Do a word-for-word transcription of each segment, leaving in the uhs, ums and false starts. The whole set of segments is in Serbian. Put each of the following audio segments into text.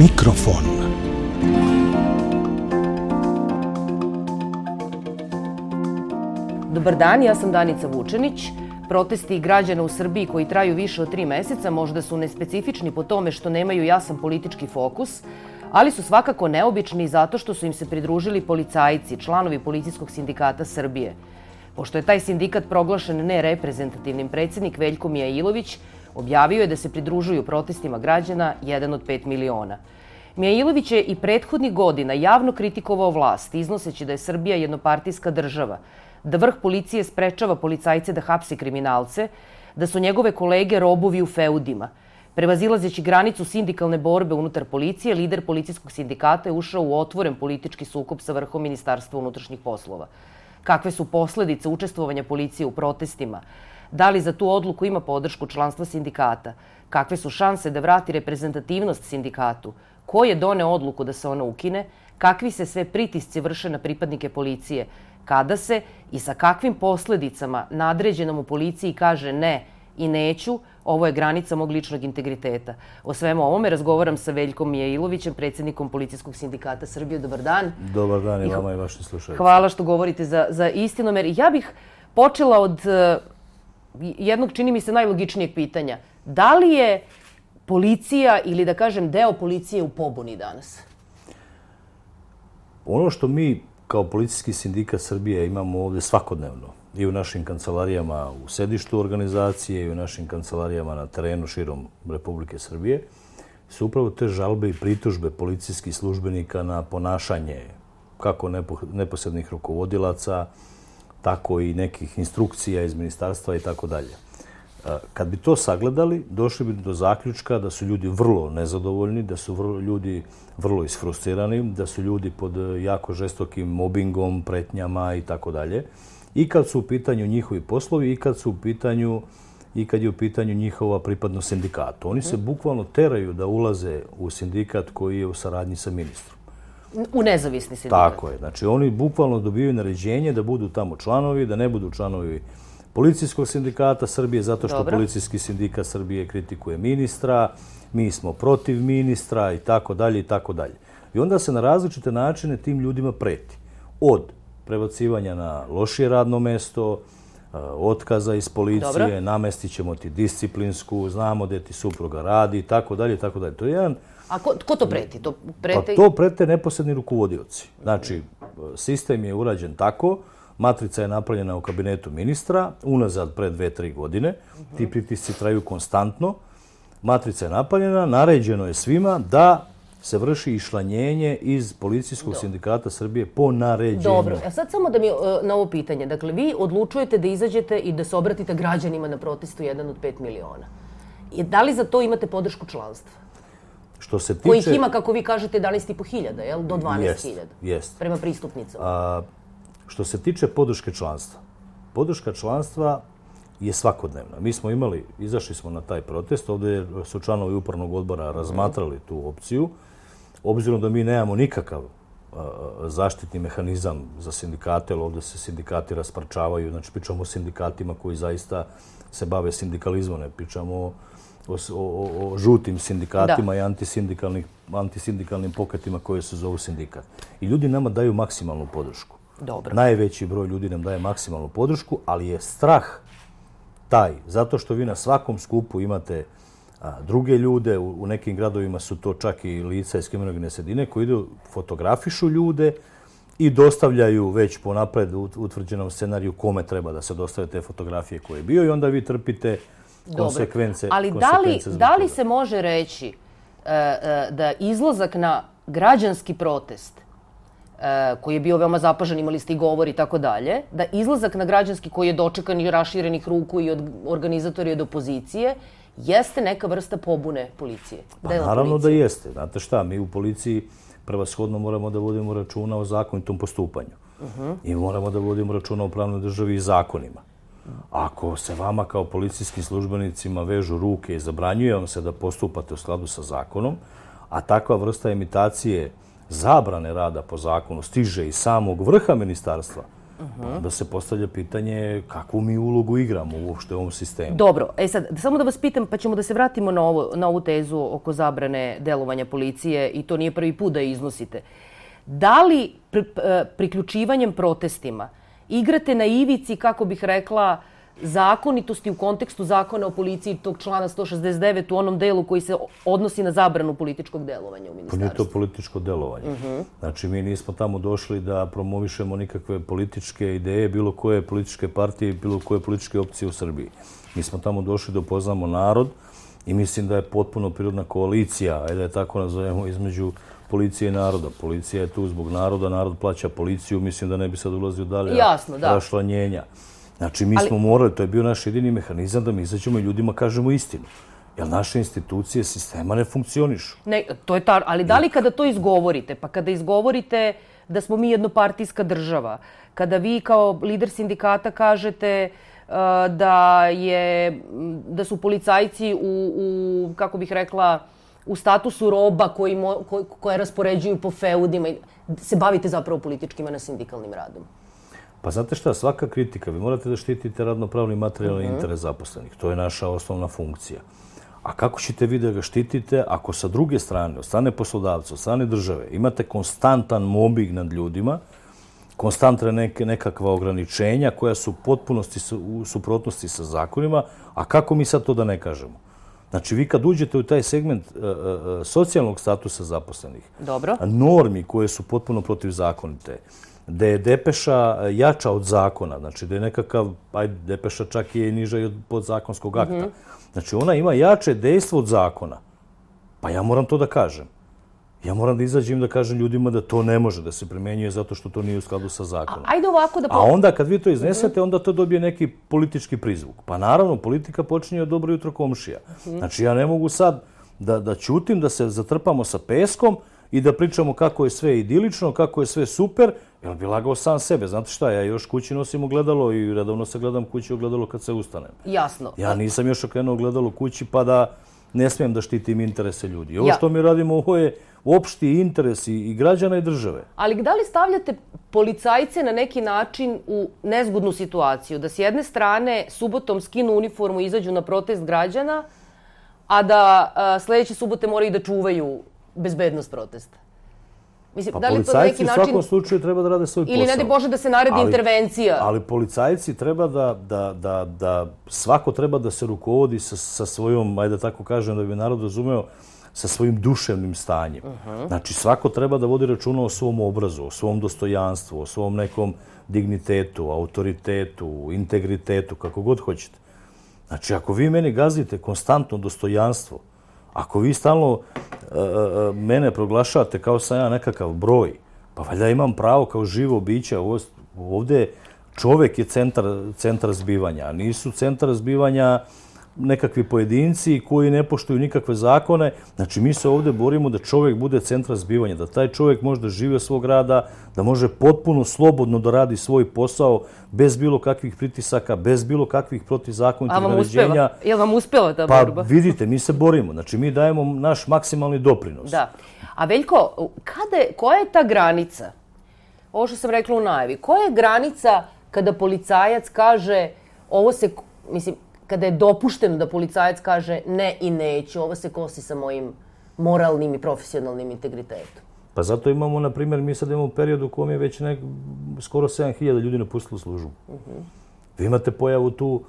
Mikrofon. Dobar dan, ja sam Danica Vučenić. Protesti građana u Srbiji koji traju više od tri meseca možda su nespecifični po tome što nemaju jasan politički fokus, ali su svakako neobični zato što su im se pridružili policajci, članovi Policijskog sindikata Srbije. Pošto je taj sindikat proglašen nereprezentativnim, predsjednik Veljko Mijailović objavio je da se pridružuju protestima građana jedan od pet miliona. Mijailović je i prethodnih godina javno kritikovao vlast, iznoseći da je Srbija jednopartijska država, da vrh policije sprečava policajce da hapse kriminalce, da su njegove kolege robovi u feudima. Prevazilazeći granicu sindikalne borbe unutar policije, lider policijskog sindikata je ušao u otvoren politički sukob sa vrhom Ministarstva unutrašnjih poslova. Kakve su posledice učestvovanja policije u protestima? Da li za tu odluku ima podršku članstva sindikata? Kakve su šanse da vrati reprezentativnost sindikatu? Ko je doneo odluku da se ona ukine? Kakvi se sve pritisci vrše na pripadnike policije? Kada se i sa kakvim posledicama nadređenom u policiji kaže ne i neću, ovo je granica mog ličnog integriteta. O svemu ovome razgovaram sa Veljkom Mijailovićem, predsjednikom Policijskog sindikata Srbije. Dobar dan. Dobar dan i vama i vašim slušalicima. Hvala što govorite za, za istinomer. Ja bih počela od uh, jednog, čini mi se, najlogičnijeg pitanja. Da li je policija ili, da kažem, deo policije u pobuni danas? Ono što mi kao Policijski sindikat Srbije imamo ovdje svakodnevno i u našim kancelarijama u sedištu organizacije i u našim kancelarijama na terenu širom Republike Srbije su upravo te žalbe i pritužbe policijskih službenika na ponašanje kako neposrednih rukovodilaca, tako i nekih instrukcija iz ministarstva i tako dalje. Kad bi to sagledali, došli bi do zaključka da su ljudi vrlo nezadovoljni, da su vrlo, ljudi vrlo isfrustrirani, da su ljudi pod jako žestokim mobingom, pretnjama i tako dalje. I kad su u pitanju njihovi poslovi i kad su u pitanju i kad je u pitanju njihova pripadnost sindikatu. Oni se bukvalno teraju da ulaze u sindikat koji je u saradnji sa ministrom. U nezavisni sindikat. Tako je. Znači, oni bukvalno dobijaju naređenje da budu tamo članovi, da ne budu članovi Policijskog sindikata Srbije, zato što Dobro. Policijski sindikat Srbije kritikuje ministra, mi smo protiv ministra i tako dalje i tako dalje. I onda se na različite načine tim ljudima preti. Od prebacivanja na lošije radno mesto, otkaza iz policije, Dobro. namestit ćemo ti disciplinsku, znamo gdje ti supruga radi i tako dalje i tako dalje. To je jedan... A ko, ko to preti? To prete... Pa to prete neposredni rukovodioci. Znači, sistem je urađen tako, matrica je napravljena u kabinetu ministra, unazad pre dve, tri godine. Ti pritisci traju konstantno. Matrica je napravljena, naređeno je svima da se vrši išlanjenje iz Policijskog sindikata Srbije po naređenju. Dobro. A sad samo da mi na ovo pitanje. Dakle, vi odlučujete da izađete i da se obratite građanima na protestu jedan od pet miliona. I da li za to imate podršku članstva? Što se tiče... Kojih ima, kako vi kažete, jedanaest i po hiljada, jel? Do dvanaest hiljada. Jest. Prema pristupnicama. A, što se tiče podrške članstva. Podrška članstva je svakodnevna. Mi smo imali, izašli smo na taj protest, ovdje su članovi upravnog odbora razmatrali tu opciju. Obzirom da mi nemamo nikakav a, zaštitni mehanizam za sindikate, ali ovdje se sindikati rasparčavaju, znači pričamo o sindikatima koji zaista se bave sindikalizmom, ne pričamo o, o, o, o žutim sindikatima da. i antisindikalnih, antisindikalnim pokretima koje se zovu sindikat. I ljudi nama daju maksimalnu podršku. Dobro. Najveći broj ljudi nam daje maksimalnu podršku, ali je strah taj, zato što vi na svakom skupu imate a, druge ljude, u, u nekim gradovima su to čak i lica iz kriminogene sredine koji idu, fotografišu ljude i dostavljaju već po napred utvrđenom scenariju kome treba da se dostave te fotografije koje je bio i onda vi trpite konsekvence. Ali da li, da li se može reći uh, uh, da izlazak na građanski protest koji je bio veoma zapažan, imali ste i govor i tako dalje, da izlazak na građanski koji je dočekan i raširenih ruku i od organizatori od opozicije, jeste neka vrsta pobune policije? Pa naravno da jeste. Znate šta, mi u policiji prevashodno moramo da vodimo računa o zakonitom postupanju. Uh-huh. I moramo da vodimo računa o pravnoj državi i zakonima. Ako se vama kao policijskim službenicima vežu ruke i zabranjuje vam se da postupate u skladu sa zakonom, a takva vrsta imitacije zabrane rada po zakonu stiže iz samog vrha ministarstva, Onda se postavlja pitanje kakvu mi ulogu igramo uopšte u ovom sistemu. Dobro, e sad, samo da vas pitam, pa ćemo da se vratimo na, ovo, na ovu tezu oko zabrane delovanja policije i to nije prvi put da je iznosite. Da li pri, priključivanjem protestima igrate na ivici, kako bih rekla, zakonitosti u kontekstu zakona o policiji tog člana sto šezdeset devet u onom delu koji se odnosi na zabranu političkog delovanja u ministarstvu? Pa nije to političko delovanje. Uh-huh. Znači, mi nismo tamo došli da promovišemo nikakve političke ideje, bilo koje političke partije, bilo koje političke opcije u Srbiji. Mi smo tamo došli da upoznamo narod i mislim da je potpuno prirodna koalicija, ajde da je tako nazovemo, između policije i naroda. Policija je tu zbog naroda, narod plaća policiju, mislim da ne bi sad ulazio dalje rašlanjenja. Znači, mi ali, smo morali, to je bio naš jedini mehanizam da mi izađemo i ljudima kažemo istinu. Jer naše institucije sistema ne funkcionišu. Ne, to je ta, ali da li kada to izgovorite, pa kada izgovorite da smo mi jednopartijska država, kada vi kao lider sindikata kažete uh, da, je, da su policajci u, u, kako bih rekla, u statusu roba koji mo, ko, koje raspoređuju po feudima, se bavite zapravo političkim, a ne sindikalnim radom? Pa znate šta, svaka kritika, vi morate da štitite radno-pravni materijalni uh-huh. interes zaposlenih. To je naša osnovna funkcija. A kako ćete vi da ga štitite ako sa druge strane, od strane poslodavca, od strane države, imate konstantan mobbing nad ljudima, konstantne neke, nekakva ograničenja koja su u potpunosti u suprotnosti sa zakonima, a kako mi sad to da ne kažemo? Znači, vi kad uđete u taj segment uh, uh, socijalnog statusa zaposlenih, dobro, normi koje su potpuno protivzakonite, da je depeša jača od zakona, znači da je nekakav, ajde, depeša čak je i niža i od podzakonskog akta. Mm-hmm. Znači, ona ima jače dejstvo od zakona. Pa ja moram to da kažem. Ja moram da izađem da kažem ljudima da to ne može da se primenjuje zato što to nije u skladu sa zakonom. A, ajde ovako da... A onda kad vi to iznesete, onda to dobije neki politički prizvuk. Pa naravno, politika počinje od dobro jutro komšija. Mm-hmm. Znači, ja ne mogu sad da, da ćutim, da se zatrpamo sa peskom i da pričamo kako je sve idilično, kako je sve super, jer bi lagao sam sebe. Znate šta, ja još kući nosim ogledalo i redovno se gledam kući ogledalo kad se ustanem. Jasno. Ja nisam još okrenuo ogledalo kući pa da ne smijem da štitim interese ljudi. Ovo što mi radimo, ovo je opšti interes i građana i države. Ali da li stavljate policajce na neki način u nezgodnu situaciju? Da s jedne strane subotom skinu uniformu i izađu na protest građana, a da a, sljedeće subote moraju da čuvaju bezbednost protesta? Mislim, pa da li policajci to na neki način... u svakom način... slučaju treba da rade svoj posao. Ili ne de Bože da se naredi ali, intervencija. Ali policajci treba da, da, da, da svako treba da se rukovodi sa, sa svojom, ajde da tako kažem, da bi narod razumeo, sa svojim duševnim stanjem. Uh-huh. Znači, svako treba da vodi računa o svom obrazu, o svom dostojanstvu, o svom nekom dignitetu, autoritetu, integritetu, kako god hoćete. Znači, ako vi meni gazite konstantno dostojanstvo, ako vi stalno uh, uh, mene proglašavate kao sam ja nekakav broj, pa valjda imam pravo kao živo biće. Ovdje čovjek je centar, centar zbivanja, a nisu centar zbivanja nekakvi pojedinci koji ne poštuju nikakve zakone. Znači, mi se ovdje borimo da čovjek bude centar zbivanja, da taj čovjek može da živi od svog rada, da može potpuno slobodno da radi svoj posao, bez bilo kakvih pritisaka, bez bilo kakvih protivzakonitih naređenja. Je li vam uspjela ta pa, borba? Pa vidite, mi se borimo. Znači, mi dajemo naš maksimalni doprinos. Da. A Veljko, kada je, koja je ta granica? Ovo što sam rekla u najavi. Koja je granica kada policajac kaže ovo se, mislim, kada je dopušteno da policajac kaže ne i neću, ovo se kosi sa mojim moralnim i profesionalnim integritetom? Pa zato imamo, na primjer, mi sad imamo period u kojem je već nek, skoro sedam hiljada ljudi napustilo službu. Uh-huh. Vi imate pojavu tu,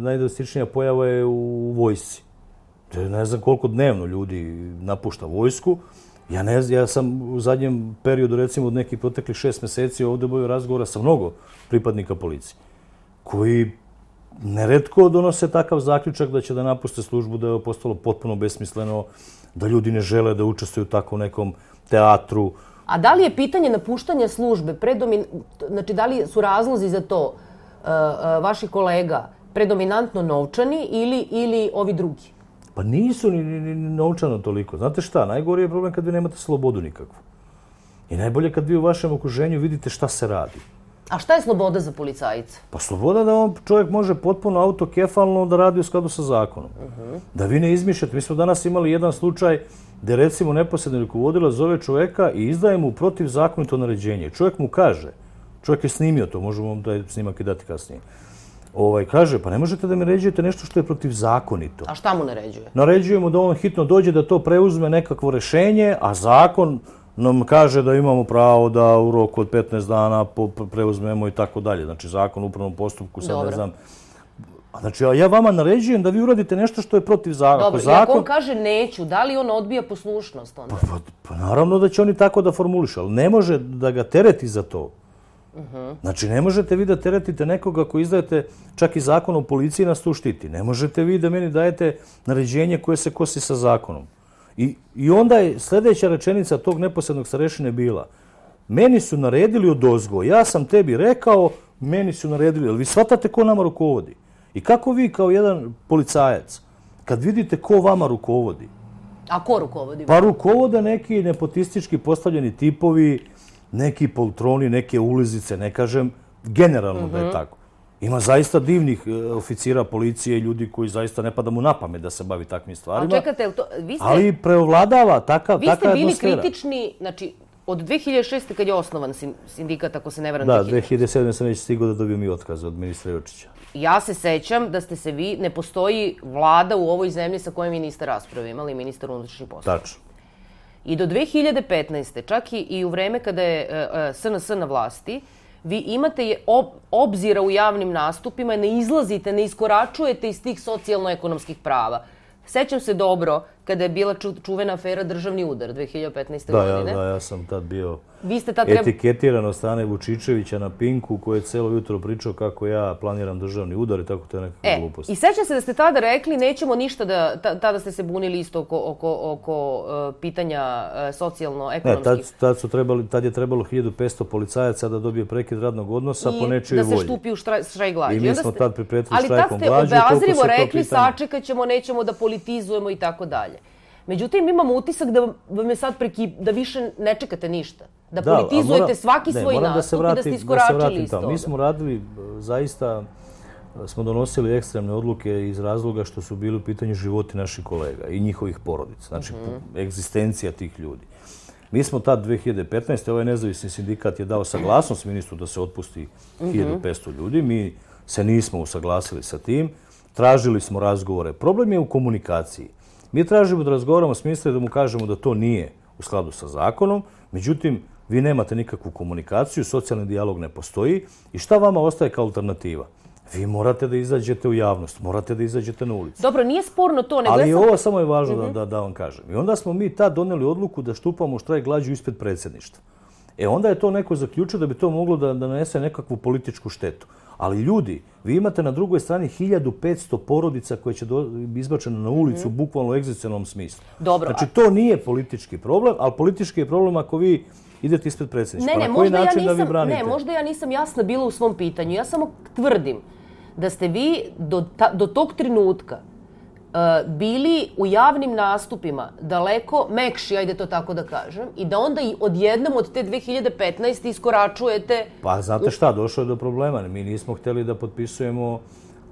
najdrastičnija pojava je u vojsci. Ne znam koliko dnevno ljudi napušta vojsku. Ja, ne, ja sam u zadnjem periodu, recimo od nekih proteklih šest mjeseci, ovdje bio razgovora sa mnogo pripadnika policije, koji neretko donose takav zaključak da će da napuste službu, da je postalo potpuno besmisleno, da ljudi ne žele da učestvuju u takvom nekom teatru. A da li je pitanje napuštanja službe, predomin... znači da li su razlozi za to uh, uh, vaših kolega predominantno novčani ili, ili ovi drugi? Pa nisu ni, ni, ni novčano toliko. Znate šta, najgori je problem kad vi nemate slobodu nikakvu. I najbolje kad vi u vašem okruženju vidite šta se radi. A šta je sloboda za policajca? Pa sloboda da on čovjek može potpuno autokefalno da radi u skladu sa zakonom. Uh-huh. Da vi ne izmišljate. Mi smo danas imali jedan slučaj gdje recimo neposredni rukovodilac zove čovjeka i izdaje mu protivzakonito naređenje. Čovjek mu kaže, Čovjek je snimio to, možemo vam taj snimak i dati kasnije. Ovaj, kaže, pa ne možete da mi naređujete nešto što je protivzakonito. A šta mu naređuje? Naređujemo da on hitno dođe da to preuzme nekakvo rešenje, a zakon nam kaže da imamo pravo da u roku od petnaest dana preuzmemo i tako dalje. Znači, zakon u upravnom postupku, sad ne znam. Znači, ja vama naređujem da vi uradite nešto što je protiv zakona. Dobro, i ako on kaže neću, da li on odbija poslušnost onda? Pa naravno da će oni tako da formulišu, ali ne može da ga tereti za to. Znači, ne možete vi da teretite nekoga ako izdajete čak i zakon o policiji nas tu štiti. Ne možete vi da meni dajete naređenje koje se kosi sa zakonom. I, i onda je sljedeća rečenica tog neposrednog starešine bila: meni su naredili odozgo, ja sam tebi rekao, meni su naredili. Ali vi shvatate ko nama rukovodi? I kako vi kao jedan policajac, kad vidite ko vama rukovodi? A ko rukovodi? Pa rukovode neki nepotistički postavljeni tipovi, neki poltroni, neke ulizice, ne kažem generalno da je tako. Ima zaista divnih oficira policije i ljudi koji zaista ne pada mu na pamet da se bavi takvim stvarima. A čekate, to, vi ste... Ali preovladava takav, vi takva atmosfera. Vi ste bili kritični, znači, od dve hiljade šeste. kad je osnovan sindikat, ako se ne varam, da, dve hiljade sedme. sam već stigao da dobijem i otkaz od ministra Jočića. Ja se sećam da ste se vi, ne postoji vlada u ovoj zemlji sa kojom vi niste rasprave imali, ministar unutrašnjih poslova. Tačno. I do dve hiljade petnaeste. čak i u vreme kada je S N S na vlasti, vi imate obzira u javnim nastupima, ne izlazite, ne iskoračujete iz tih socijalno-ekonomskih prava. Sećam se dobro kada je bila čuvena afera Državni udar dve hiljade petnaeste. godine. Da, ja sam tad bio tad etiketiran od strane Vučičevića na Pinku, koji je celo jutro pričao kako ja planiram državni udar i tako to je nekakva glupost. I sećam se da ste tada rekli nećemo ništa da, tada ste se bunili isto oko, oko, oko pitanja socijalno-ekonomskih. Ne, tad, tad, su trebali, tad je trebalo hiljadu petsto policajaca da dobije prekid radnog odnosa po nečijoj volji. I da se štupi u štrajk glađu. I mi smo tad pripretili štrajkom glađu. Ali tad ste obazrivo rekli sačekat ćemo, nećemo da politizujemo i tako dalje. Međutim, imamo utisak da vam je sad prekip, da više ne čekate ništa. Da, da politizujete mora, svaki ne, svoj nastup i da ste iskoračili iz toga. Mi smo radili, zaista smo donosili ekstremne odluke iz razloga što su bili u pitanju životi naših kolega i njihovih porodica. Znači, mm-hmm. egzistencija tih ljudi. Mi smo tad dve hiljade petnaeste. ovaj nezavisni sindikat je dao saglasnost ministru da se otpusti hiljadu petsto ljudi. Mi se nismo usaglasili sa tim. Tražili smo razgovore. Problem je u komunikaciji. Mi tražimo da razgovaramo s ministrom i da mu kažemo da to nije u skladu sa zakonom. Međutim, vi nemate nikakvu komunikaciju, socijalni dijalog ne postoji. I šta vama ostaje kao alternativa? Vi morate da izađete u javnost, morate da izađete na ulicu. Dobro, nije sporno to. Nego ali sam... ovo samo je važno mm-hmm. da, da, da vam kažem. I onda smo mi tad doneli odluku da štupamo štrajk glađu ispred predsjedništva. E onda je to neko zaključio da bi to moglo da, da nanese nekakvu političku štetu. Ali ljudi, vi imate na drugoj strani hiljadu petsto porodica koje će biti izbačene na ulicu mm-hmm. bukvalno u egzistencijalnom smislu. Dobro. Znači, to nije politički problem, ali politički je problem ako vi idete ispred predsjedništva. Ne, ne, možda ja, nisam, ne, možda ja nisam jasna bila u svom pitanju. Ja samo tvrdim da ste vi do, ta, do tog trenutka uh, bili u javnim nastupima daleko mekši, ajde to tako da kažem, i da onda i odjednom od te dve hiljade petnaeste. iskoračujete... Pa znate šta, došlo je do problema. Mi nismo htjeli da potpisujemo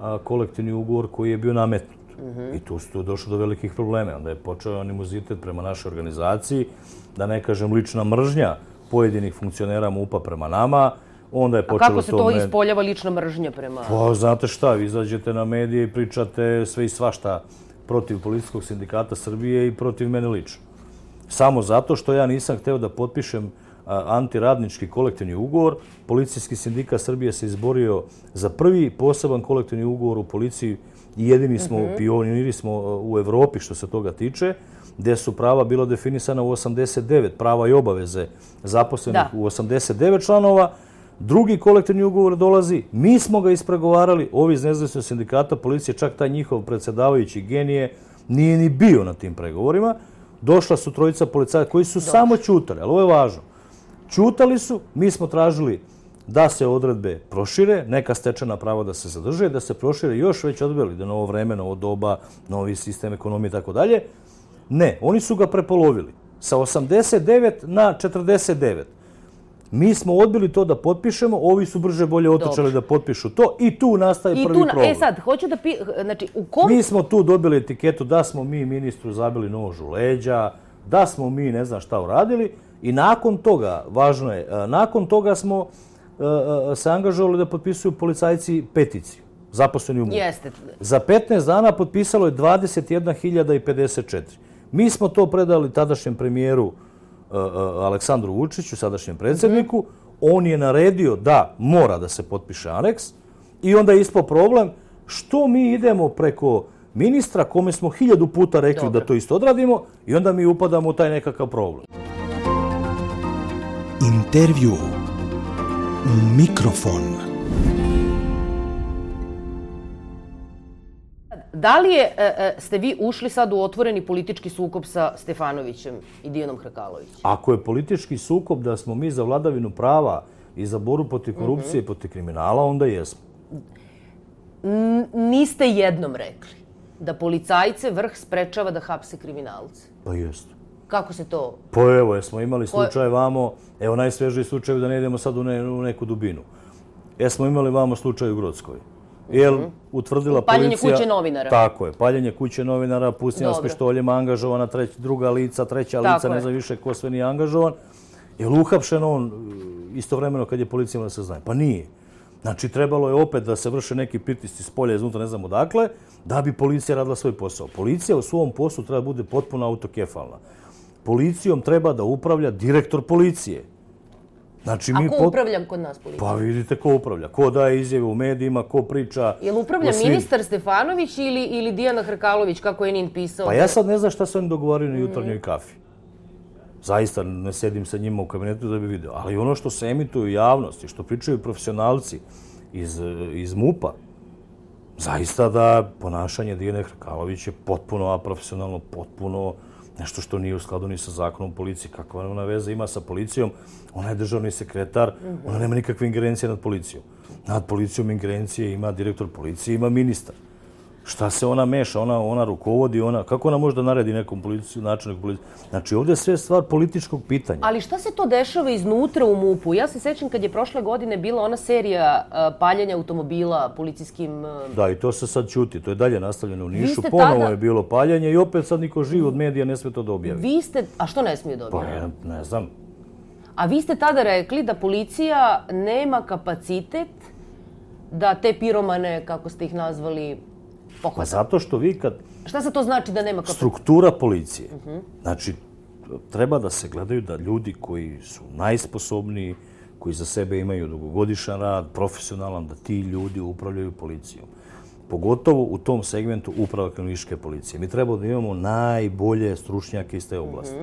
a, kolektivni ugovor koji je bio nametnut. Mm-hmm. I tu su došlo do velikih problema. Onda je počeo animozitet prema našoj organizaciji, da ne kažem lična mržnja pojedinih funkcionera MUP-a prema nama. Onda je počelo A kako se to med... ispoljava lična mržnja prema... Pa, znate šta, vi izađete na medije i pričate sve i svašta protiv Policijskog sindikata Srbije i protiv mene lično. Samo zato što ja nisam hteo da potpišem a, antiradnički kolektivni ugovor. Policijski sindikat Srbije se izborio za prvi poseban kolektivni ugovor u policiji i jedini smo, mm-hmm. pioniri smo u Evropi što se toga tiče, gdje su prava bila definisana u osamdeset devet, prava i obaveze zaposlenih da. u osamdeset devet članova. Drugi kolektivni ugovor dolazi, mi smo ga ispregovarali, ovi iz nezavisnog sindikata policije, čak taj njihov predsjedavajući genije nije ni bio na tim pregovorima. Došla su trojica policajaca koji su Došli. samo ćutali, ali ovo je važno. Ćutali su, mi smo tražili da se odredbe prošire, neka stečena prava da se zadrže, da se prošire još već odbili, da novo vreme, novo doba, novi sistem ekonomije i tako dalje. Ne, oni su ga prepolovili sa osamdeset devet na četrdeset devet. Mi smo odbili to da potpišemo, ovi su brže bolje otočali da potpišu to i tu nastaje I prvi tu na, problem. E sad, hoću da pi... Znači, u kom... Mi smo tu dobili etiketu da smo mi ministru zabili nož u leđa, da smo mi ne znam šta uradili i nakon toga, važno je, nakon toga smo se angažovali da potpisuju policajci peticiju, zaposleni u MUP. Jeste. Za petnaest dana potpisalo je dvadeset jedna hiljada pedeset četiri. Mi smo to predali tadašnjem premijeru Aleksandru Vučiću, sadašnjem predsjedniku. On je naredio da mora da se potpiše aneks i onda je ispao problem što mi idemo preko ministra kome smo hiljadu puta rekli da to isto odradimo i onda mi upadamo u taj nekakav problem. Intervju. Mikrofon. Da li je, ste vi ušli sad u otvoreni politički sukob sa Stefanovićem i Dijanom Hrkalovićem? Ako je politički sukob da smo mi za vladavinu prava i za borbu protiv korupcije i protiv kriminala, onda jesmo. Niste jednom rekli da policajce vrh sprečava da hapse kriminalce. Pa jeste. Kako se to... Pa evo, jesmo imali slučaj vamo, evo najsvežiji slučaj da ne idemo sad u neku dubinu. Jesmo imali vamo slučaj u Grockoj. Jel utvrdila policija... Paljenje kuće novinara. Tako je, paljenje kuće novinara, pustinja s pištoljima, angažovana druga lica, treća lica, ne znam više ko sve nije angažovan. Jel uhapšen on istovremeno kad je policija da se zna? Pa nije. Znači, trebalo je opet da se vrše neki pritisci s polja iznutra, ne znam odakle, da bi policija radila svoj posao. Policija u svom poslu treba bude potpuno autokefalna. Policijom treba da upravlja direktor policije. Znači, a ko upravlja kod nas policija? Pa vidite ko upravlja. Ko daje izjave u medijima, ko priča... Je li upravlja ministar Stefanović ili, ili Dijana Hrkalović, kako je Nin pisao? Pa ja sad ne znam šta su oni dogovorili na jutarnjoj kafi. Zaista ne sedim sa njima u kabinetu da bi vidio. Ali ono što se emituje u javnosti, što pričaju profesionalci iz, iz MUP-a, zaista da ponašanje Dijane Hrkalović je potpuno aprofesionalno, potpuno nešto što nije u skladu ni sa zakonom policiji. Kakva ona veza ima sa policijom? Ona je državni sekretar, ona nema nikakve ingerencije nad policijom. Nad policijom ingerencije ima direktor policije, ima ministar. Šta se ona meša? Ona, ona rukovodi, ona... Kako ona može da naredi nekom policiju, načelnik policije? Znači, ovdje je sve stvar političkog pitanja. Ali šta se to dešava iznutra u MUP-u? Ja se sećam kad je prošle godine bila ona serija uh, paljenja automobila policijskim... Uh... Da, i to se sad čuti. To je dalje nastavljeno u Nišu. Ponovo tada... je bilo paljenje i opet sad niko živ od medija ne smije to da objavi. Vi ste... A što ne smije da objavi? Pa ja ne znam. A vi ste tada rekli da policija nema kapacitet da te piromane, kako ste ih nazvali, pohvata. Pa zato što vi kad... Šta se to znači da nema kapacitet? Struktura policije. Znači, treba da se gledaju da ljudi koji su najsposobniji, koji za sebe imaju dugogodišnji rad, profesionalan, da ti ljudi upravljaju policijom. Pogotovo u tom segmentu uprava kriminalističke policije. Mi treba da imamo najbolje stručnjake iz te oblasti.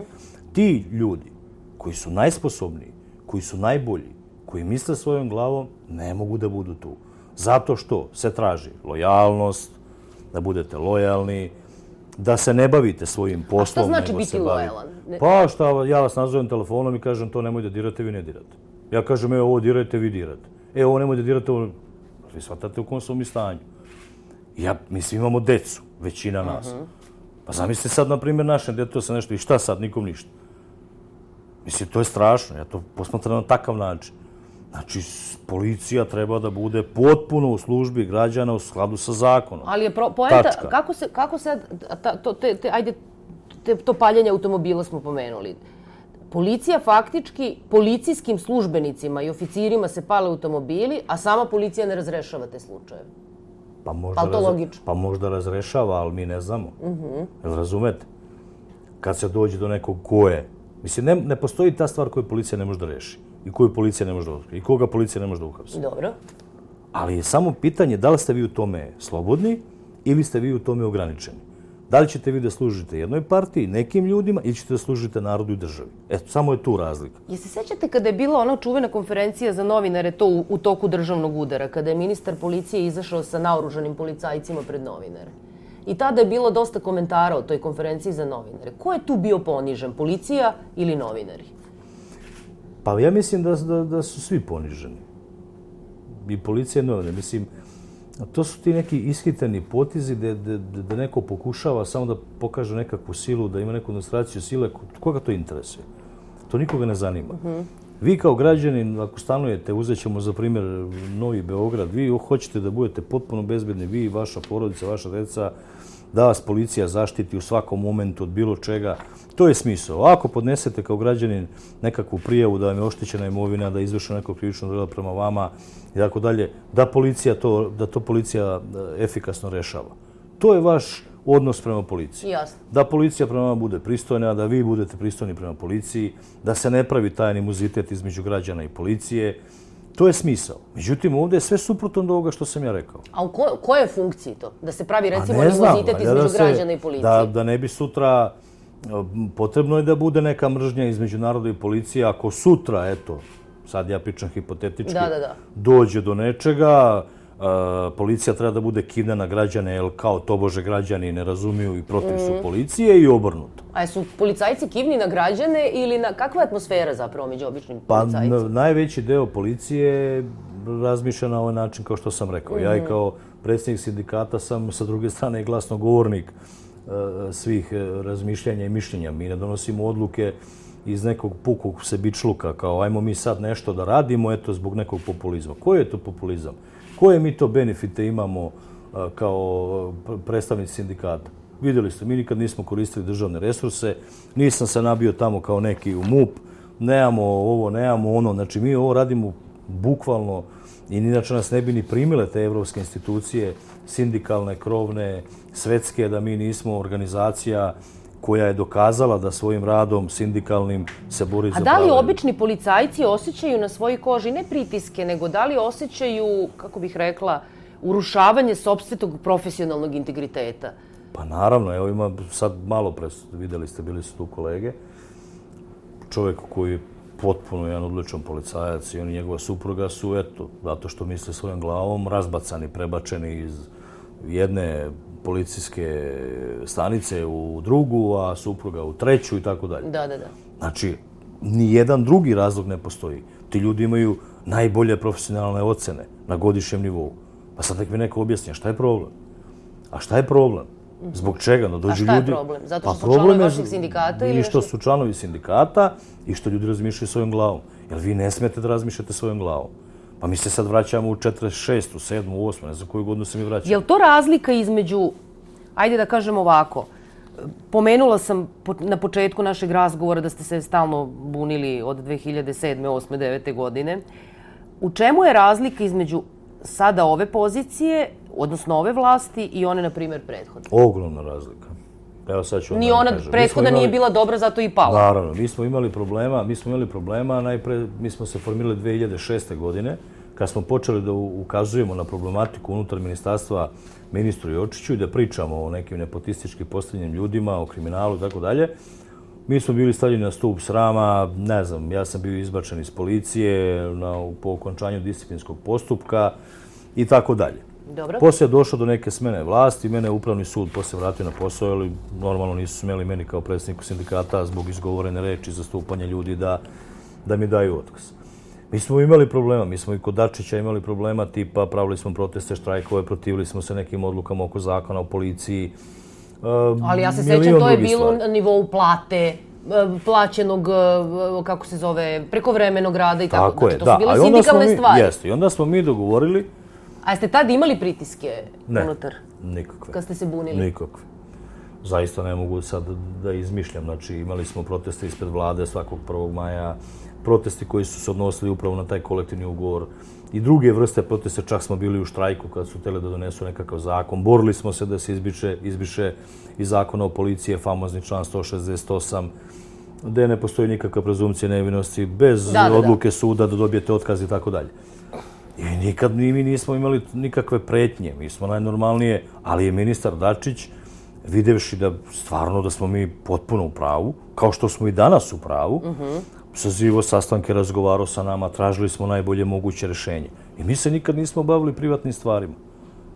Ti ljudi koji su najsposobniji, koji su najbolji, koji misle svojom glavom, ne mogu da budu tu. Zato što se traži lojalnost, da budete lojalni, da se ne bavite svojim poslom. A šta znači biti lojalan? Pa šta, ja vas nazovem telefonom i kažem to nemoj da dirate, vi ne dirate. Ja kažem, evo ovo dirajte, vi dirate. Evo ovo nemoj da dirate, ovo... Vi shvatate u kom su mi stanju. Ja, mi svi imamo decu, većina nas. Pa zamislite sad, na primjer, našem djetu se nešto i šta sad, nikom ništa. Mislim, to je strašno, ja to posmatram na takav način. Znači, policija treba da bude potpuno u službi građana u skladu sa zakonom. Ali je poenta, kako se, kako se, to, te, te, ajde, te, to paljenje automobila smo pomenuli. Policija faktički, policijskim službenicima i oficirima se pale automobili, a sama policija ne razrešava te slučajeve. Pa možda, pa, raz, pa možda razrešava, ali mi ne znamo. Uh-huh. Jel razumete? Kad se dođe do nekog ko je, mislim, ne, ne postoji ta stvar koju policija ne može da reši. I koju policija ne može da otkrije. I koga policija ne može da uhapsi. Dobro. Ali je samo pitanje da li ste vi u tome slobodni ili ste vi u tome ograničeni. Da li ćete vi da služite jednoj partiji, nekim ljudima, ili ćete da služite narodu i državi. Eto, samo je tu razlika. Je se sjećate kada je bila ona čuvena konferencija za novinare to u, u toku državnog udara, kada je ministar policije izašao sa naoružanim policajcima pred novinare? I tada je bilo dosta komentara o toj konferenciji za novinare. Ko je tu bio ponižen, policija ili novinari? Pa ja mislim da, da, da su svi poniženi. I policija i novinari. Mislim, to su ti neki ishitani potizi da, da, da neko pokušava samo da pokaže nekakvu silu, da ima neku demonstraciju sile. Koga to interesuje? To nikoga ne zanima. Uh-huh. Vi kao građanin, ako stanujete, uzet ćemo za primjer Novi Beograd, vi hoćete da budete potpuno bezbedni, vi, vaša porodica, vaša deca, da vas policija zaštiti u svakom momentu od bilo čega. To je smisao. Ako podnesete kao građanin nekakvu prijavu da vam je oštećena imovina, da je izvršeno neko krivično delo prema vama i tako dalje, da policija to, da to policija efikasno rešava. To je vaš odnos prema policiji. Jasno. Da policija prema vama bude pristojna, da vi budete pristojni prema policiji, da se ne pravi taj animozitet između građana i policije. To je smisao. Međutim, ovdje je sve suprotno od ovoga što sam ja rekao. A u ko, kojoj funkciji to? Da se pravi, recimo, animozitet između da se, građana i policije? Da, da ne bi sutra... Potrebno je da bude neka mržnja između naroda i policije. Ako sutra, eto, sad ja pričam hipotetički, da, da, da. dođe do nečega, policija treba da bude kivna na građane, jer kao tobože građani ne razumiju i protiv su policije i obrnuto. A su policajci kivni na građane ili na kakva je atmosfera zapravo među običnim policajcima? Pa najveći deo policije razmišlja na ovaj način kao što sam rekao. Ja i kao predsjednik sindikata sam sa druge strane i glasnogovornik svih razmišljanja i mišljenja. Mi ne donosimo odluke iz nekog pukog sebičluka, kao ajmo mi sad nešto da radimo, eto, zbog nekog populizma. Koji je to populizam? Koje mi to benefite imamo kao predstavnici sindikata? Vidjeli ste, mi nikad nismo koristili državne resurse, nisam se nabio tamo kao neki u MUP, nemamo ovo, nemamo ono, znači mi ovo radimo bukvalno i inače nas ne bi ni primile te evropske institucije, sindikalne, krovne, svetske, da mi nismo organizacija koja je dokazala da svojim radom sindikalnim se bori za pravo. A da li obični policajci osjećaju na svojoj koži ne pritiske, nego da li osjećaju, kako bih rekla, urušavanje sopstvenog profesionalnog integriteta? Pa naravno, evo ima sad malo pre, vidjeli ste, bili su tu kolege, čovjek koji je potpuno jedan odličan policajac i on i njegova supruga su, eto, zato što misle svojom glavom, razbacani, prebačeni iz jedne policijske stanice u drugu, a supruga u treću i tako dalje. Da, da, da. Znači, ni jedan drugi razlog ne postoji. Ti ljudi imaju najbolje profesionalne ocene na godišnjem nivou. Pa sad nek mi neko objasnija, šta je problem? A šta je problem? Zbog čega? No, dođu a šta je ljudi... problem? Zato što pa su članovi problem vaših sindikata? I što su članovi sindikata i što ljudi razmišljaju svojom glavom. Jer vi ne smijete da razmišljate svojom glavom. Pa mi se sad vraćamo u četrdeset šestu, sedmu, osmu, ne znam koju godinu se mi vraćamo. Je li to razlika između, ajde da kažem ovako, pomenula sam na početku našeg razgovora da ste se stalno bunili od dve hiljade sedme, osme, devete godine. U čemu je razlika između sada ove pozicije, odnosno ove vlasti i one, na primjer, prethodne? Ogromna razlika. Evo sad ću vam Ni ona kažem. prethodna nije bila dobra, zato i pala. Naravno, mi smo imali problema, mi smo imali problema, najpre mi smo se formirali dve hiljade šeste. godine, kad smo počeli da ukazujemo na problematiku unutar ministarstva ministru Jočiću i da pričamo o nekim nepotistički postavljenim ljudima, o kriminalu i tako dalje. Mi smo bili stavljeni na stup srama, ne znam, ja sam bio izbačen iz policije na, po okončanju disciplinskog postupka i tako dalje. Dobro. Poslije je došlo do neke smene vlasti, mene je upravni sud poslije vratio na posao, ali normalno nisu smjeli meni kao predsjedniku sindikata zbog izgovorene reči, zastupanja ljudi da, da mi daju otkaz. Mi smo imali problema, mi smo i kod Dačića imali problema, tipa pravili smo proteste, štrajkove, protivili smo se nekim odlukama oko zakona o policiji. Ali ja se sećam, to je bilo na nivou plate, plaćenog, kako se zove, prekovremenog rada i tako. Tako je, to da. su bile sindikalne stvari. Jeste, i onda smo mi dogovorili... A jeste tad imali pritiske unutar? Ne, nikakve. Kad ste se bunili? Nikakve. Zaista ne mogu sad da izmišljam. Znači, imali smo proteste ispred vlade svakog prvog maja, protesti koji su se odnosili upravo na taj kolektivni ugovor i druge vrste proteste, čak smo bili u štrajku kad su htjeli da donesu nekakav zakon. Borili smo se da se izbiše, izbiše iz zakona o policiji, famozni član sto šezdeset osam, gdje ne postoji nikakva prezumcija nevinosti, bez da, da, odluke da. suda da dobijete otkaz i tako dalje. I nikad mi nismo imali nikakve pretnje, mi smo najnormalnije, ali je ministar Dačić, videvši da stvarno da smo mi potpuno u pravu, kao što smo i danas u pravu, uh-huh. sazivo sastanke, razgovarao sa nama, tražili smo najbolje moguće rješenje. I mi se nikad nismo bavili privatnim stvarima.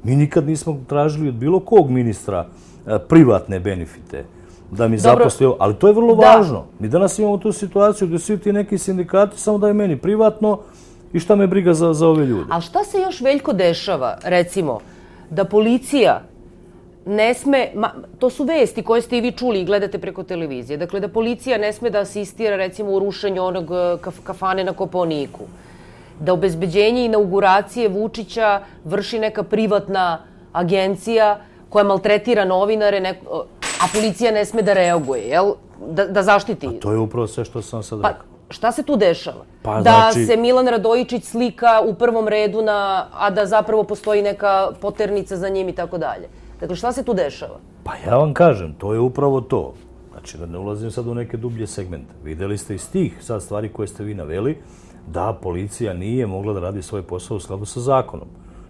Mi nikad nismo tražili od bilo kog ministra privatne benefite da mi zaposli, ali to je vrlo da. važno. Mi danas imamo tu situaciju gdje svi ti neki sindikati samo daju meni privatno i šta me briga za, za ove ljude. A šta se još, Veljko, dešava, recimo, da policija ne sme, ma, to su vesti koje ste i vi čuli i gledate preko televizije, dakle da policija ne sme da asistira recimo u rušenju onog kaf, kafane na Kopaoniku, da obezbeđenje inauguracije Vučića vrši neka privatna agencija koja maltretira novinare, neko, a policija ne sme da reaguje, jel? Da, da zaštiti. A to je upravo sve što sam sad pa, rekao. Šta se tu dešava? Pa, da znači... se Milan Radojičić slika u prvom redu, na, a da zapravo postoji neka poternica za njim i tako dalje. Dakle, šta se tu dešava? Pa ja vam kažem, to je upravo to. Znači, da ne ulazim sad u neke dublje segmente. Videli ste iz tih sad stvari koje ste vi naveli, da policija nije mogla da radi svoj posao u skladu sa zakonom.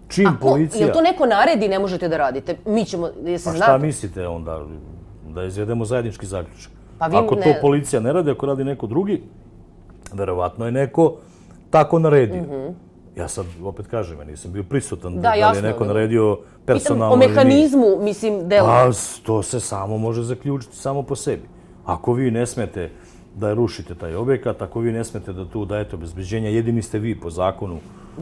Čim Ako, policija... Jel to neko naredi ne možete da radite? Mi ćemo, jesi Pa znate? šta mislite onda? Da izvedemo zajednički zaključak. Pa vi ako ne... to policija ne radi, ako radi neko drugi, verovatno je neko tako naredio. Mm-hmm. Ja sad opet kažem, ja nisam bio prisutan da, da li je neko naredio personalno. Pitam o mehanizmu, mislim, delo. Pa to se samo može zaključiti samo po sebi. Ako vi ne smete da rušite taj objekat, ako vi ne smete da tu dajete obezbeđenja, jedini ste vi po zakonu,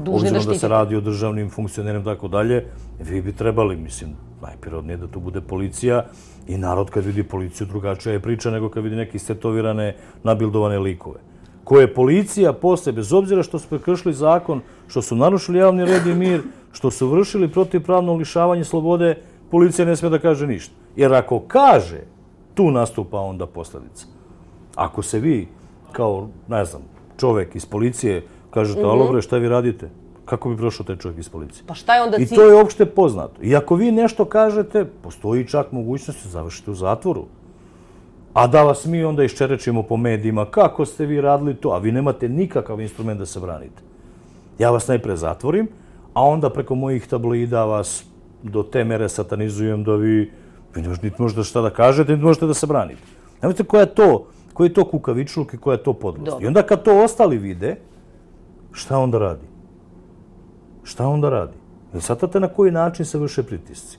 obzirom da se radi o državnim funkcionerima i tako dalje, vi bi trebali, mislim, najprirodnije da tu bude policija i narod kad vidi policiju drugačija je priča nego kad vidi neke istetovirane, nabildovane likove. Koje je policija posle, bez obzira što su prekršili zakon, što su narušili javni red i mir, što su vršili protivpravno lišavanje slobode, policija ne smije da kaže ništa. Jer ako kaže, tu nastupa onda posljedica. Ako se vi, kao, ne znam, čovek iz policije, kažete, mm-hmm. alo bre, šta vi radite? Kako bi prošao taj čovjek iz policije? Pa šta je onda cilj? I to je opšte poznato. I ako vi nešto kažete, postoji čak mogućnost da završite u zatvoru. A da vas mi onda iščerečimo po medijima, kako ste vi radili to, a vi nemate nikakav instrument da se branite. Ja vas najpre zatvorim, a onda preko mojih tabloida vas do te mere satanizujem da vi, vi niti možete šta da kažete, niti možete da se branite. Nemojte koja je to, koji je to kukavičluk i koja je to podlost. Dobro. I onda kad to ostali vide, šta onda radi? Šta onda radi? Jel shvatate na koji način se vrše pritisci?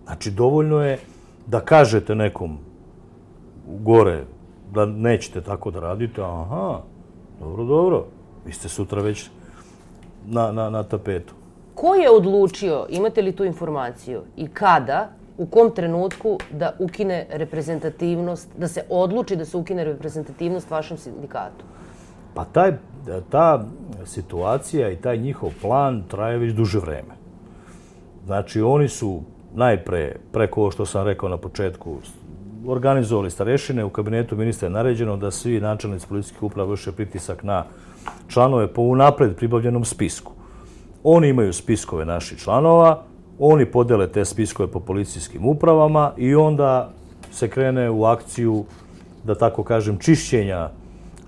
Znači, dovoljno je da kažete nekom gore da nećete tako da radite, aha, dobro, dobro, vi ste sutra već na, na, na tapetu. Ko je odlučio, imate li tu informaciju, i kada, u kom trenutku da ukine reprezentativnost, da se odluči da se ukine reprezentativnost vašem sindikatu? Pa taj, ta situacija i taj njihov plan traje već duže vreme. Znači, oni su najpre, preko ovo što sam rekao na početku, organizovali starešine, u kabinetu ministra je naređeno da svi načelnici policijskih uprava vrše pritisak na članove po unapred pribavljenom spisku. Oni imaju spiskove naših članova, oni podele te spiskove po policijskim upravama i onda se krene u akciju, da tako kažem, čišćenja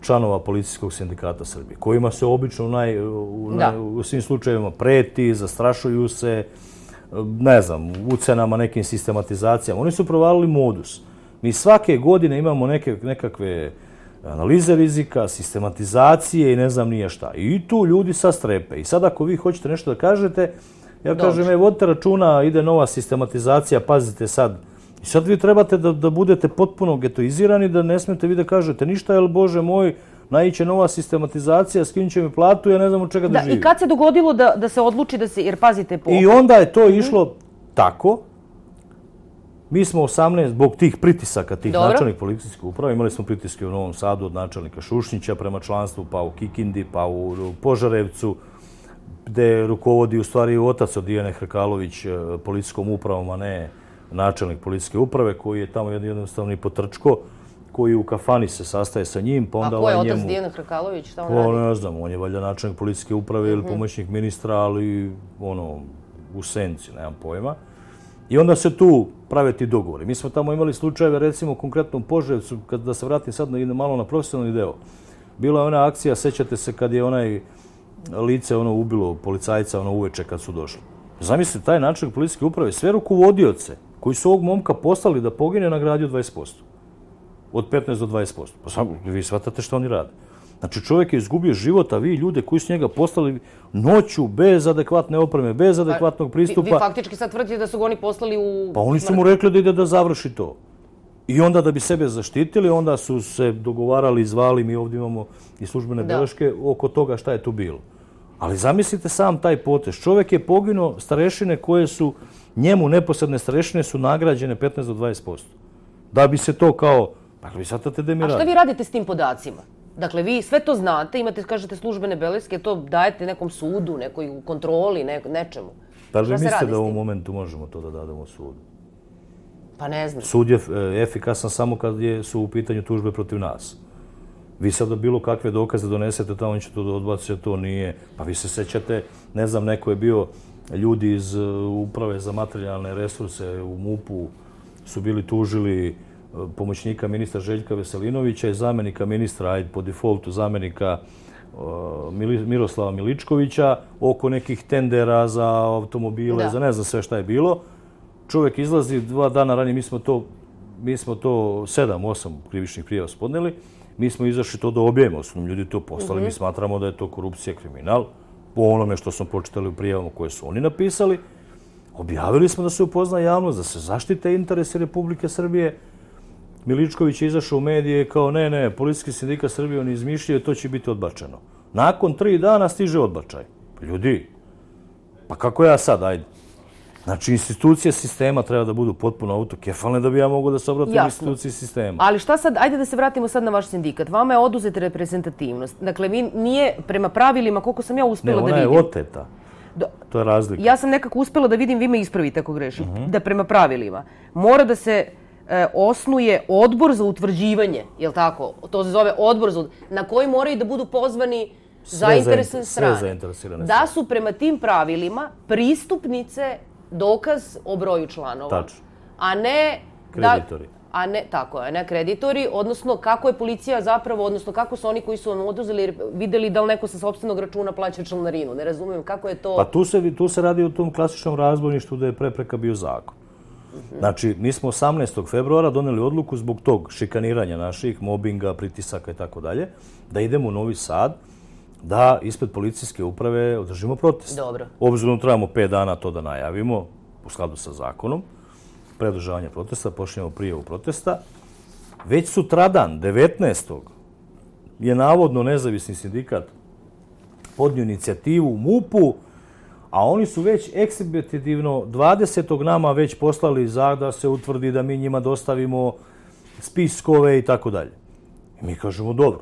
članova Policijskog sindikata Srbije, kojima se obično u, naj, u, naj, u svim slučajevima preti, zastrašuju se, ne znam, ucenama, nekim sistematizacijama. Oni su provalili modus. Mi svake godine imamo neke, nekakve analize rizika, sistematizacije i ne znam nije šta. I tu ljudi sad strepe. I sad ako vi hoćete nešto da kažete, ja Dobre. kažem, e, vodite računa, ide nova sistematizacija, pazite sad. I sad vi trebate da, da budete potpuno getoizirani, da ne smijete vi da kažete ništa, jer Bože moj, naiće nova sistematizacija, skinut će mi platu, ja ne znam od čega da, da živim. I kad se dogodilo da, da se odluči da se, jer pazite po... I onda je to išlo mm. tako. Mi smo osamnaest, zbog tih pritisaka, tih Dobro. načelnih policijskih uprava, imali smo pritiske u Novom Sadu od načelnika Šušnjića prema članstvu, pa u Kikindi, pa u Požarevcu, gde rukovodi u stvari otac od Dijane Hrkalović policijskom upravom, a ne načelnik policijske uprave, koji je tamo jednostavni potrčko, koji u kafani se sastaje sa njim, pa onda... A ko je ovaj otac njemu... Dijana Hrkalović? Šta on pa, radi? Ne znam, on je valjda načelnik policijske uprave mm-hmm. ili pomoćnik ministra, ali ono, u senci, nemam pojma. I onda se tu prave ti dogovori. Mi smo tamo imali slučajeve, recimo konkretno u Požarevcu, kad da se vratim sad na, malo na profesionalni deo. Bila je ona akcija, sećate se kad je onaj lice ono ubilo policajca ono uveče kad su došli. Zamislite, taj načelnik policijske uprave, sve rukovodioce koji su ovog momka poslali da pogine, nagradio dvadeset posto. Od petnaest do dvadeset posto. Pa samo vi shvatate što oni rade. Znači, čovjek je izgubio život, a vi ljude koji su njega poslali noću, bez adekvatne opreme, bez adekvatnog pristupa... Vi, vi faktički sad tvrdite da su ga oni poslali u... Pa oni su mu rekli da ide da završi to. I onda da bi sebe zaštitili, onda su se dogovarali, zvali, mi ovdje imamo i službene beleške, oko toga šta je tu bilo. Ali zamislite sam taj potez. Čovjek je poginuo, starešine koje su, njemu neposredne starešine su nagrađene petnaest do dvadeset posto. Da bi se to kao... Dakle, vi shvatate da mi radi. A šta vi radite s tim podacima? Dakle, vi sve to znate, imate, kažete, službene beleske, to dajete nekom sudu, nekoj kontroli, ne, nečemu. Pa li mislite da u ovom momentu možemo to da dademo sudu? Pa ne znam. Sud je efikasan samo kad su u pitanju tužbe protiv nas. Vi sad da bilo kakve dokaze donesete, tamo će to da odbacite, to nije. Pa vi se sećate, ne znam, neko je bio, ljudi iz Uprave za materijalne resurse u MUP-u su bili tužili pomoćnika ministra Željka Veselinovića i zamjenika ministra, ajde po defaultu zamjenika Miroslava Miličkovića oko nekih tendera za automobile, za ne znam sve šta je bilo. Čovjek izlazi dva dana ranije, mi smo to, mi smo to sedam, osam krivičnih prijava spodneli, mi smo izašli to da objavimo, osnovno ljudi to poslali, mi smatramo da je to korupcija, kriminal, po onome što smo pročitali u prijavama koje su oni napisali. Objavili smo da se upozna javnost, da se zaštite interesi Republike Srbije. Miličković je izašao u medije kao ne, ne, Policijski sindikat Srbije on izmišljaju, to će biti odbačeno. Nakon tri dana stiže odbačaj. Pa ljudi, pa kako ja sad, ajde. Znači, institucije sistema treba da budu potpuno autokefalne da bi ja mogu da se obratim instituciji sistema. Ali šta sad, ajde da se vratimo sad na vaš sindikat. Vama je oduzeta reprezentativnost. Dakle, vi nije prema pravilima, koliko sam ja uspela da vidim. Ne, ona je oteta. To je razlika. Ja sam nekako uspela da vidim, vi me ispravite ako grešim, da prema pravilima mora da se osnuje odbor za utvrđivanje, je li tako? To se zove odbor za na koji moraju da budu pozvani zainteresovane strane. Sve zainteresirane strane. Da su prema tim pravilima pristupnice dokaz o broju članova. Tačno. A ne... Kreditori. A ne, tako je, ne kreditori, odnosno kako je policija zapravo, odnosno kako su oni koji su vam oduzeli, videli da li neko sa sopstvenog računa plaća članarinu. Ne razumijem kako je to... Pa tu se, tu se radi o tom klasičnom razbojništvu da je prepreka bio zakon. Znači, mi smo osamnaestog februara doneli odluku zbog tog šikaniranja naših, mobinga, pritisaka i tako dalje, da idemo u Novi Sad, da ispred policijske uprave održimo protest. Dobro. Obzirom trebamo pet dana to da najavimo, u skladu sa zakonom, pre održavanja protesta, počnemo prijavu protesta. Već sutradan, devetnaestog je navodno nezavisni sindikat podnio inicijativu u MUP-u, a oni su već ekshibitivno dvadesetog nama već poslali za da se utvrdi da mi njima dostavimo spiskove i tako dalje. I mi kažemo dobro.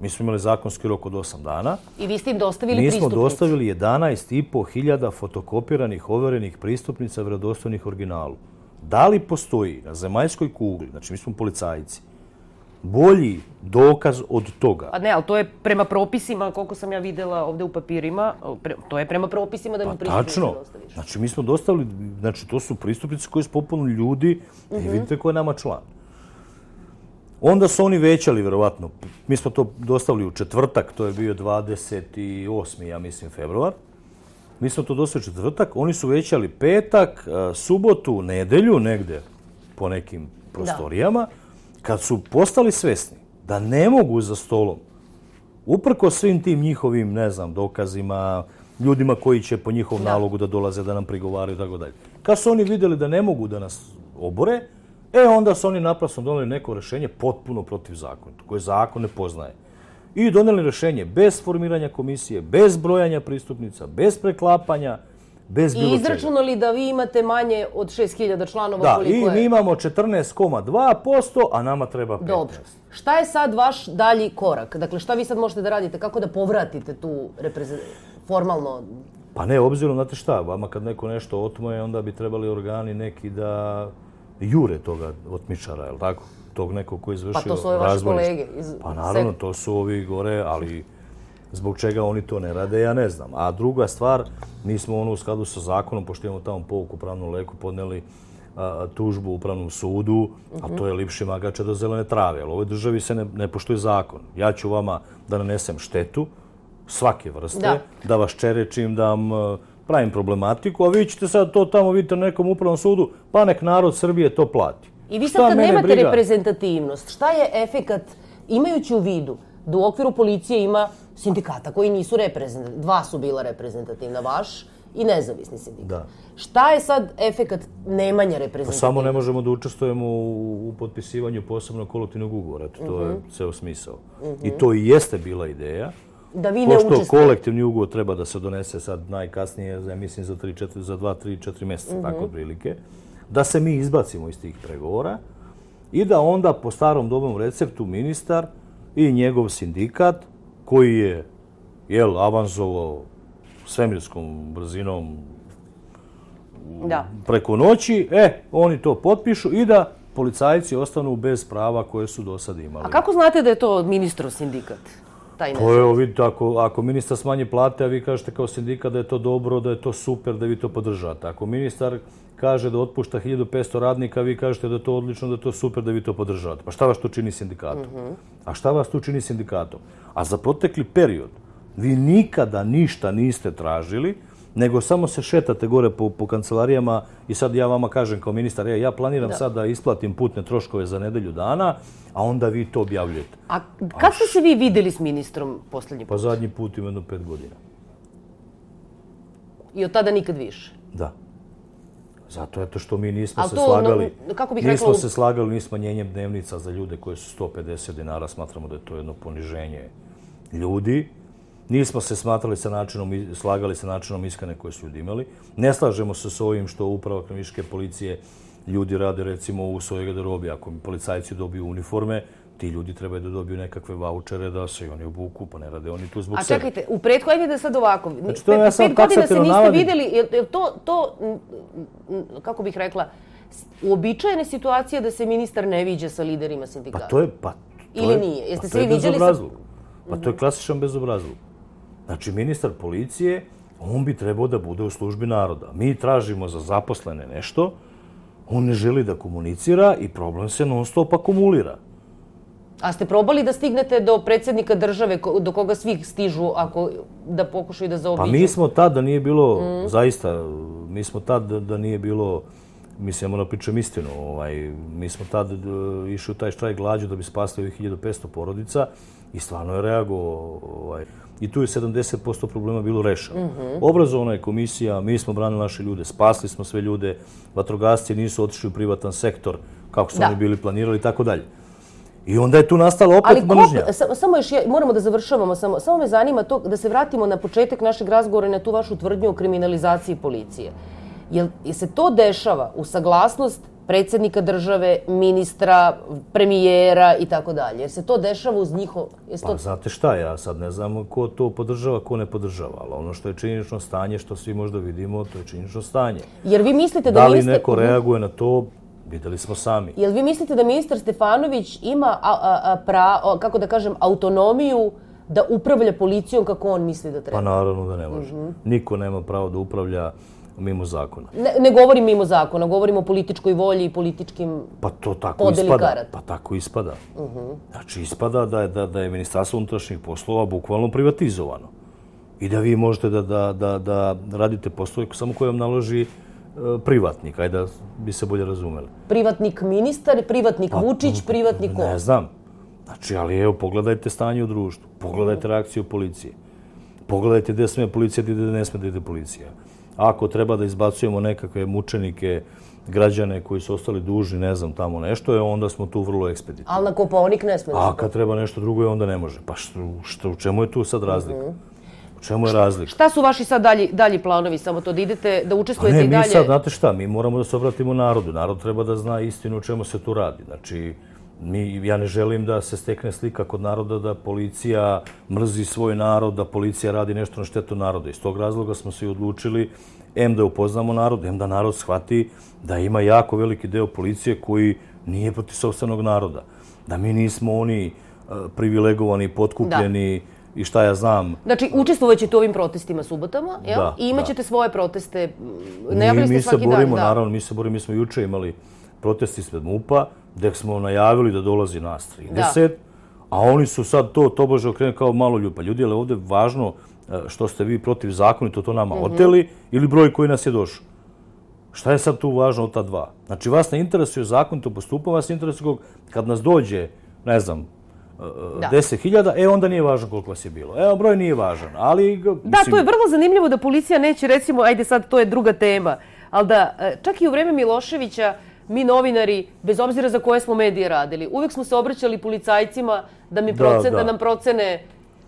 Mi smo imali zakonski rok od osam dana. I vi ste im dostavili pristupnice? Mi smo dostavili jedanaest i po hiljada fotokopiranih, overenih pristupnica vjerodostojnih originalu. Da li postoji na zemaljskoj kugli, znači mi smo policajci, bolji dokaz od toga? A ne, ali to je prema propisima, koliko sam ja videla ovdje u papirima, to je prema propisima da mi pristupnice dostaviš. Tačno. Znači mi smo dostavili, znači to su pristupnice koje su popunili ljudi i vidite ko je nama član. Onda su oni većali, verovatno. Mi smo to dostavili u četvrtak, to je bio dvadeset osmi ja mislim, februar. Mi smo to dostavili u četvrtak, oni su većali petak, subotu, nedelju, negde po nekim prostorijama, kad su postali svesni da ne mogu za stolom, uprko svim tim njihovim, ne znam, dokazima, ljudima koji će po njihovom nalogu da dolaze, da nam prigovaraju i tako dalje. Kad su oni vidjeli da ne mogu da nas obore, e, onda su oni naprasno doneli neko rešenje potpuno protiv zakona, koje zakon ne poznaje. I doneli rešenje bez formiranja komisije, bez brojanja pristupnica, bez preklapanja, bez bilo čega. I izračunali da vi imate manje od šest hiljada članova da, koliko je... Da, i mi imamo četrnaest zarez dva posto, a nama treba petnaest. Dobro. Šta je sad vaš dalji korak? Dakle, šta vi sad možete da radite? Kako da povratite tu reprezentaciju? Formalno... Pa ne, obzirom, znate šta, vama kad neko nešto otmoje, onda bi trebali organi neki da jure toga otmičara, je li tako? Tog nekog koji je izvršio razbojništvo. Pa to su ove vaše kolege iz... Pa naravno, to su ovi gore, ali zbog čega oni to ne rade, ja ne znam. A druga stvar, mi smo ono u skladu sa zakonom, pošto imamo tamo pouku pravnom leku, podneli a, tužbu u upravnom sudu, a to je lipši magača do zelene trave. Ali u ovoj državi se ne, ne poštuje zakon. Ja ću vama da nanesem štetu svake vrste, da, da vas čerečim, da vam pravim problematiku, a vi ćete sad to tamo vidite na nekom upravnom sudu, pa nek narod Srbije to plati. I vi sad kad nemate briga? reprezentativnost, šta je efekat, imajući u vidu da u okviru policije ima sindikata koji nisu reprezentativni, dva su bila reprezentativna, vaš i nezavisni sindikat. Da. Šta je sad efekat nemanja reprezentativnosti? Pa samo ne možemo da učestvujemo u, u potpisivanju posebnog kolektivnog ugovora, to uh-huh. je ceo smisao. Uh-huh. I to i jeste bila ideja. Da vi ne učestvujete. Pošto kolektivni ugovor treba da se donese sad najkasnije, ja mislim, za, tri, četiri, za dva, tri, četiri mjeseca, uh-huh. tako otprilike, da se mi izbacimo iz tih pregovora i da onda po starom dobrom receptu ministar i njegov sindikat, koji je jel, avanzovao svemirskom brzinom da. preko noći, e, oni to potpišu i da policajci ostanu bez prava koje su do sada imali. A kako znate da je to ministrov sindikat? Taj Pa evo vidite, ako, ako ministar smanji plate, a vi kažete kao sindikat da je to dobro, da je to super, da vi to podržate. Ako ministar kaže da otpušta hiljadu petsto radnika, vi kažete da je to odlično, da je to super, da vi to podržavate. Pa šta vas to čini sindikatom? Mm-hmm. A šta vas tu čini sindikatom? A za protekli period vi nikada ništa niste tražili, nego samo se šetate gore po, po kancelarijama i sad ja vama kažem kao ministar, ja, ja planiram da. sad da isplatim putne troškove za nedelju dana, a onda vi to objavljujete. A kad ste se vi vidjeli s ministrom posljednji put? Pa zadnji put ima jedno pet godina. I od tada nikad više? Da. Zato eto što mi nismo to, se slagali, no, kako bih nismo rekla... se slagali ni smanjenjem dnevnica za ljude koje su sto pedeset dinara, smatramo da je to jedno poniženje ljudi. Nismo se smatrali sa načinom, slagali sa načinom iskane koje su ljudi imali. Ne slažemo se s ovim što uprava kriminalističke policije ljudi rade recimo u svojoj garderobi. Ako policajci dobiju uniforme, ti ljudi trebaju da dobiju nekakve vaučere da se oni obuku, pa ne rade oni tu zbog sebe. A čekajte, u pretku, ajde da sad ovako. Znači, to ja sam pet godina se niste navadim. vidjeli, je to, to, kako bih rekla, uobičajene situacije da se ministar ne viđa sa liderima sindikata? Pa to je, pa, to Ili je, nije? Jeste pa se vi viđali sa... Pa to je klasičan bezobrazluk. Znači, ministar policije, on bi trebao da bude u službi naroda. Mi tražimo za zaposlene nešto, on ne želi da komunicira i problem se non stop akumulira. A ste probali da stignete do predsjednika države, do koga svi stižu, ako da pokušaju da zaobiđu? Pa mi smo tad da nije bilo, mm. zaista, mi smo tad da, da nije bilo, mislim, ja moram pričam istinu, ovaj, mi smo tad išli u taj štrajk glađu da bi spasili ovih hiljadu petsto porodica i stvarno je reagovao, ovaj, i tu je sedamdeset posto problema bilo rešeno. Mm-hmm. Obrazovna je komisija, mi smo branili naše ljude, spasli smo sve ljude, vatrogasci nisu otišli u privatan sektor kako su da. oni bili planirali i tako dalje. I onda je tu nastala opet mržnja. Ali ko, samo još, moramo da završavamo, samo, samo me zanima to da se vratimo na početak našeg razgovora i na tu vašu tvrdnju o kriminalizaciji policije. Jel se to dešava u saglasnost predsjednika države, ministra, premijera i tako dalje? Jer se to dešava uz njihov... Pa to... znate šta, ja sad ne znam ko to podržava, ko ne podržava, ali ono što je činjenično stanje, što svi možda vidimo, to je činjenično stanje. Jer vi mislite da, da li ministar... neko reaguje na to, videli smo sami. Jel vi mislite da ministar Stefanović ima, a, a, a, pra, kako da kažem, autonomiju da upravlja policijom kako on misli da treba? Pa naravno da ne može. Mm-hmm. Niko nema pravo da upravlja mimo zakona. Ne, ne govorim mimo zakona, govorim o političkoj volji i političkim pa to tako ispada. Pa tako ispada. Uh-huh. Znači ispada da je, da, da je Ministarstvo unutrašnjih poslova bukvalno privatizovano. I da vi možete da, da, da, da radite poslove samo koje vam naloži uh, privatnik, ajde da bi se bolje razumeli. Privatnik ministar, privatnik pa, Vučić, privatnik ko? Ne znam. Znači, ali evo, pogledajte stanje u društvu, pogledajte reakciju policije. Pogledajte gdje sme policija, gdje ne sme da ide policija. Ako treba da izbacujemo nekakve mučenike, građane koji su ostali dužni, ne znam, tamo nešto, je onda smo tu vrlo ekspeditivni. Ali na Kopaonik ne sme. A kad treba nešto drugo, onda ne može. Pa što, što, u čemu je tu sad razlika? U čemu je razlika? Šta su vaši sad dalji, dalji planovi? Samo to da idete, da učestvujete ne, i dalje? Mi sad, znate šta, mi moramo da se obratimo narodu. Narod treba da zna istinu o čemu se tu radi. Znači, mi, ja ne želim da se stekne slika kod naroda da policija mrzi svoj narod, da policija radi nešto na štetu naroda. Iz tog razloga smo se i odlučili em da upoznamo narod, em da narod shvati da ima jako veliki deo policije koji nije protiv sopstvenog naroda. Da mi nismo oni uh, privilegovani, potkupljeni da. I šta ja znam. Znači, učestvovat ćete u ovim protestima subotama, jel? Da, i imat ćete da. svoje proteste. Najavili ste mi svaki se borimo, dan. Naravno, mi se borimo, mi smo juče imali protesti ispred MUP-a, gdje smo najavili da dolazi nas trideset, da. A oni su sad to tobože okrenuli kao malo ljupa. Ljudi, ali ovdje je važno što ste vi protiv zakonito to nama mm-hmm. oteli ili broj koji nas je došao. Šta je sad tu važno od ta dva? Znači, vas ne interesuje zakonito postupanje, vas interesuje kad nas dođe, ne znam, deset hiljada, e onda nije važno koliko vas je bilo. Evo, broj nije važan, ali... Mislim... Da, to je vrlo zanimljivo da policija neće, recimo, ajde sad, to je druga tema, ali da čak i u vreme Miloševića mi novinari, bez obzira za koje smo medije radili, uvijek smo se obraćali policajcima da, mi procen, da, da. da nam procene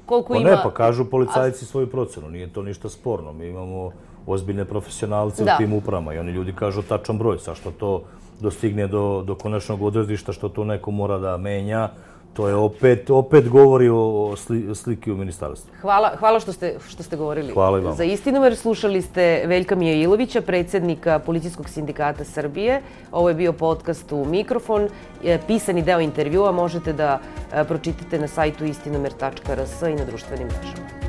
koliko pa ima... Ne, pa kažu policajci svoju procenu, nije to ništa sporno. Mi imamo ozbiljne profesionalce da. u tim upravama i oni ljudi kažu tačan broj. Sa što to dostigne do, do konačnog odredišta, što to neko mora da menja, To je opet, opet govori o sli, sliki u ministarstvu. Hvala, hvala što ste, što ste govorili hvala i vam. Za Istinomer. Slušali ste Veljka Mijailovića, predsjednika Policijskog sindikata Srbije. Ovo je bio podcast u Mikrofon. Pisani deo intervjua možete da pročitate na sajtu istinomer tačka r s i na društvenim mrežama.